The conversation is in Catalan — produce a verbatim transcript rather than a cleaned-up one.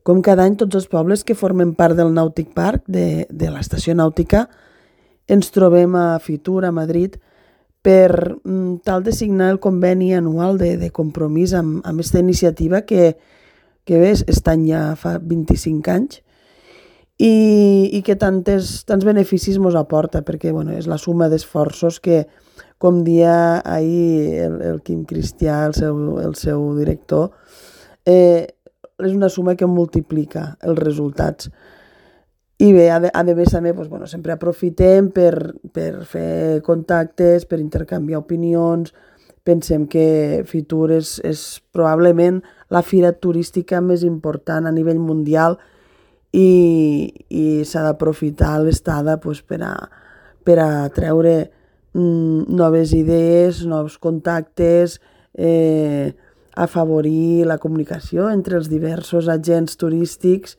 Com cada any, tots els pobles que formen part del Nàutic Park, de, de l'estació nàutica, ens trobem a Fitur, a Madrid, per mm, tal de signar el conveni anual de, de compromís amb, amb aquesta iniciativa que, que bé, estan ja fa vint-i-cinc anys i, i que tantes, tants beneficis ens aporta, perquè bueno, és la suma d'esforços que, com dia ahir el, el Quim Cristià, el seu, el seu director, eh, és una suma que multiplica els resultats. I bé, a, a més també, doncs, bueno, sempre aprofitem per, per fer contactes, per intercanviar opinions. Pensem que Fitur és, és probablement la fira turística més important a nivell mundial i, i s'ha d'aprofitar l'estada doncs, per, a, per a treure mm, noves idees, nous contactes, eh, afavorir la comunicació entre els diversos agents turístics